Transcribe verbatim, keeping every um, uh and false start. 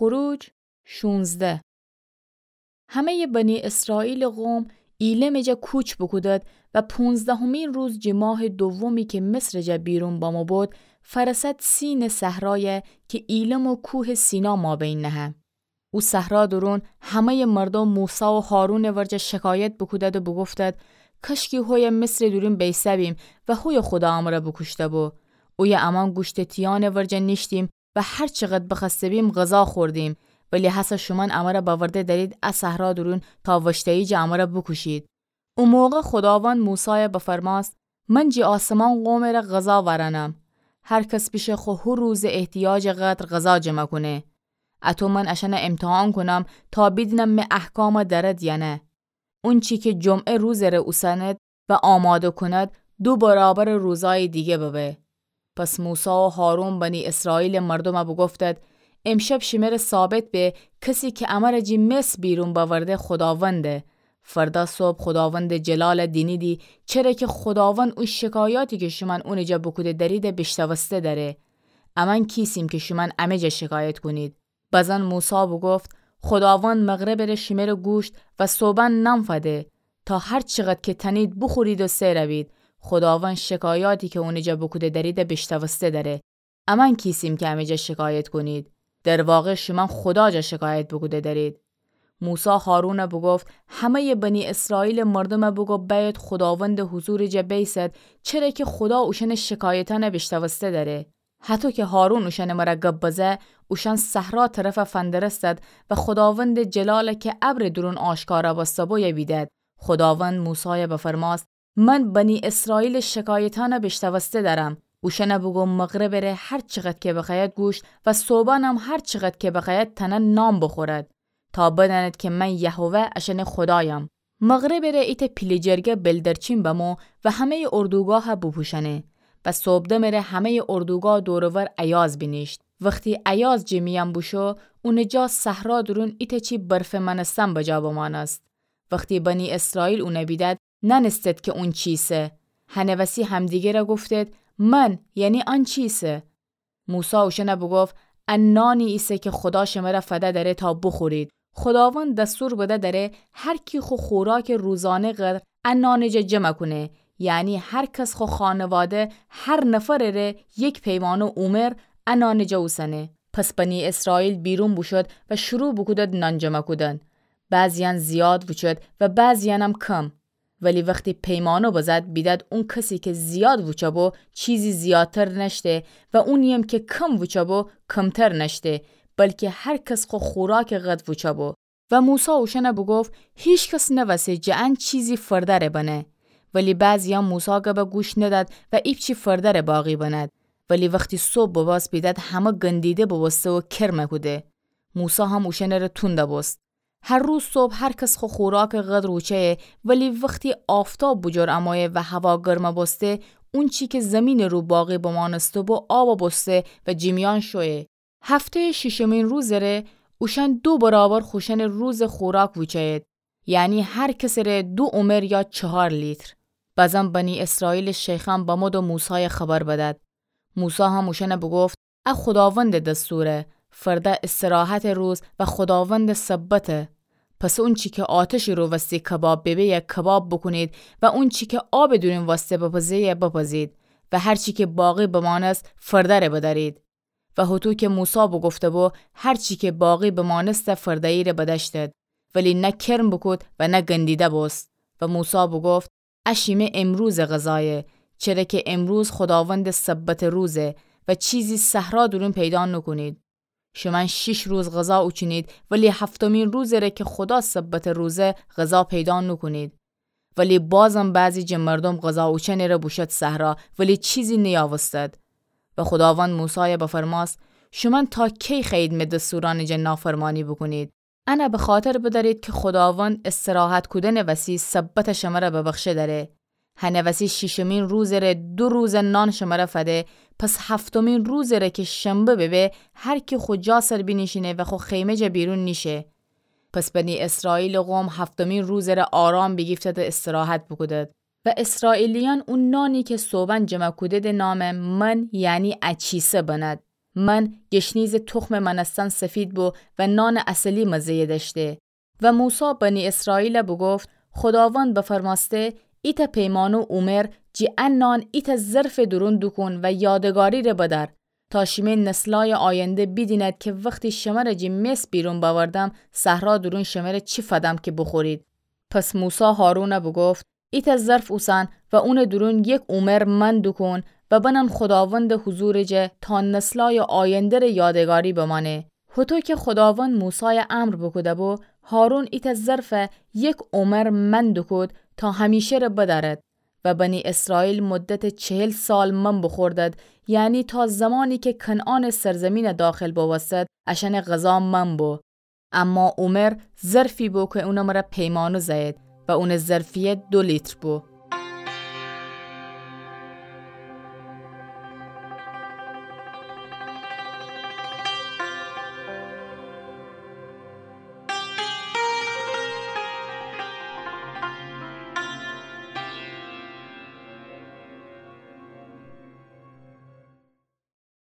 خروج شونزده. همه‌یٚ بنی اسرائیلٚ قوم ایلمٚ جا کوچ بوکودد و پونزدهمین روز جٚ ماهٚ دومی کی مصرٚ جا بیرون بمو بد، فأرسد سینٚ صحرای کی ایلم و کوهٚ سینا مابین نهه. او صحرا دورون همه‌یٚ مردوم موسی و هارونٚ ورجه شکایت بوکودد و بوگفتد: کاشکی هویه مصرٚ دورون بیسه‌بیم و هویه خودا امره بوکوشته‌بو. اویه امأن گوشتٚ تیانٚ ورجه نیشتیم و هر چقدر بخوأسته‌بیم غذا خوردیم، ولی هسه شومأن امره بأورده دأرید ا صحرا دورون تا وشته‌یی جه امره بوکوشید. او موقع خوداوند موسای بفرمأست: من جٚ آسمان قومٚ ره غذا وأرأنم. هر کس بیشه خو هو روزٚ احتیاجٚ قدر غذا جمع کونه. اطو من اشأن امتحان کونم تا بیدینم می احکام دأرد یا نه. اونچی کی جمعه روزٚ ره اوسأند و آماده کند، دو برابرٚ روزأیٚ دیگه ببه. پس موسی و هارون بنی اسرائیلٚ مردوم بوگفتد: امشب شمره ثابت به کسی کی امره جٚ مصر بیرون بأورده خوداونده. فردا صبح خوداوندٚ جلال دینیدی، چره کی خوداوند او شکایاتی کی شومأن اونٚ جا بوکوده دأریده بیشنوسته دأره. امأن کیسیم کی شومأن امه جا شکایت کونید. بزن موسی بوگفت: خوداوند مغربٚ ره شمره گوشت و صبحأن نان فده، تا هر چقدر کی تأنید بوخورید و سئر بید. خوداوند شکایاتی کی اونٚ جا بوکوده دأریده بیشنوسته دأره. امأن کیسیم کی امه جا شکایت کونید؟ در واقع شومأن خودا جا شکایت بوکوده دأرید. موسی هارون بوگفت: همه‌یٚ بنی اسرائیلٚ مردوم بوگو بأید خوداوندٚ حضورٚ جا بیسد، چره کی خودا اوشأنٚ شکایتأن بیشنوسته دأره. هطو کی هارون اوشأنٚ مره گب بزه، اوشأن صحرا طرف فندرستد و خوداوندٚ جلال کی ابرٚ دورون آشکار بوسته بو بیدد. خوداوند موسای بفرمأست: من بنی اسرائیلٚ شکایتأن بیشنوسته دأرم. اوشأن بوگو مغربٚ ره هر چقدر کی بخوأید گوشت و صبحأنم هر چقدر کی بخوأید تأنه نان بوخورد، تا بدأند کی من یهوه اشأنٚ خودایم. مغربٚ ره ایتأ پیله جرگه بلدرچین بمو و همه‌یٚ اردوگاه بوپوشأنه و صبحدمٚ ره همه‌یٚ اردوگاه دور و ور ایاز بینیشت. وختی ایاز جٚ میأن بوشو، اونٚ جا صحرا دورون ایتأ چی برفه مأنستن بجا بمأنست. وختی بنی اسرائیل اون بیدد، نأنستد کی اون چیسه. هنٚ وسی همدیگره گفتد: من، یعنی آن چیسه؟ موسی اوشأن بوگفت: ا نانی ایسه کی خودا شمره فده دأره تا بوخورید. خوداوند دستور بده دأره هر کی خو خوراکٚ روزانه قدر ا نانٚ جا جمع کونه، یعنی هر کس خو خانواده هر نفرٚ ره یک پیمانه اومر ا نانٚ جا اوسنه. پس بنی اسرائیل بیرون بوشود و شروع بوکودد نان جمع کودن. بعضیأن زیاد ووچد و بعضیأنم کم. ولی وختی پیمانه بزد، بیدد اون کسی کی زیاد ووچه بو، چیزی زیادتر نأشته و اونییم کی کم ووچه بو، کمتر نأشته، بلکی هر کس خو خوراکٚ قدر ووچه بو. و موسی اوشأن بوگفت: هیکس نوسه جٚه ان چیزی فردره بنه. ولی بعضیأن موسی گب گوش ندد و ایپچی فردره باقی بند. ولی وختی صبح ببست، بیدد همه گندیده ببوسته و کرم کوده. موسی هم اوشأنٚ ره توند بوست. هر روز صبح هر کس خو خوراکٚ قدر ووچه‌یه، ولی وختی آفتاب بوجور امویه و هوا گرم بوسته، اونچی کی زیمینٚ رو باقی بمانسته بو آب بوسته و جٚ میأن شویه. هفته‌یٚ شیشمین روزٚ ره اوشأن دو برابر خوشأنٚ روزٚ خوراک ووچه‌یید، یعنی هر کسٚ ره دو اومر یا چهار لیتر. بزن بنی اسرائیلٚ شیخأن بمود و موسای خبر بدد. موسی هم اوشأن بوگفت: ا خوداوندٚ دستوره، فردا استراحتٚ روز و خوداوندٚ سبته. پس اونچی کی آتشٚ رو وستی کباب ببه، کباب بوکونید و اونچی کی آبٚ دورون وسته بپزه، بپزید و هر چی کی باقی بمانست، فردره بدأرید. و هوطو کی موسی بوگفته بو، هر چی کی باقی بمانسته فرده‌یی ره بدأشتد، ولی نه کرم بوکود و نه گندیده بوست. و موسی بوگفت: ا شیمه امروزٚ غذایه، چره کی امروز خوداوندٚ سبتٚ روزه و چیزی صحرا دورون پیدا نوکونید. شومأن شیش روز غذا اوچینید، ولی هفتمین روزٚ ره کی خودا سبتٚ روزه، غذا پیدا نوکونید. ولی بازم بعضی جٚه مردوم غذا اوچنٚ ره بوشد صحرا، ولی چیزی نیاوستد. و خوداوند موسای بفرماست: شومأن تا کی خوأیید می دستورأنٚ جٚه نافرمانی بوکونید؟ ان بخاطر بدأرید کی خوداوند استراحت کودنٚ وسی سبت شمر ببخشه دأره. هنٚ وسی شیشمین روزٚ ره دو روز نان شمر فده، پس هفتمین روزٚ ره کی شنبه ببه، هر کی خو جا سر بینیشینه و خو خیمه جٚه بیرون نیشه. پس بنی اسرائیلٚ قوم هفتمین روزٚ ره آرام بیگیفتد و استراحت بوکودد. و اسرائیلیأن او نانی کی صوبأن جمع کودیدی نام من، یعنی اچیسه بند. من گشنیزٚ تخمٚ مأنستن سفید بو و نانٚ عسلی مزه‌یٚ دأشته. و موسی بنی اسرائیلَ بوگفت: خوداوند بفرمأسته: ایتأ پیمانو اومر جی ا نان ایتأ ظرفٚ دورون دوکون و یادگاری‌ره بدأر، تا شیمه نسلأیٚ آینده بیدیند کی وختی شمره جی مصر بیرون بأوردم، صحرا دورون شمره چی فدم کی بوخورید. پس موسی هارونَ بوگفت: ایتأ ظرف اوسن و اونٚ دورون یک اومر من دوکون و بنن خوداوندٚ حضورٚ جه تا نسلأیٚ آینده‌ره یادگاری بمأنه. هوطو کی خوداوند موسایَ امر بوکوده‌بو، هارون ایتأ ظرفَ یک اومر من دوکود تا همیشه‌ره بدأرد. و بنی اسرائیل مدتٚ چهل سال من بوخوردد، یعنی تا زمانی کی کنعانٚ سرزمینَ داخل بوستد، اشأنٚ غذا من بو. اما اومر ظرفی بو کی اونٚ مره پیمانو زأیید و اونٚ ظرفیت دو لیتر بو.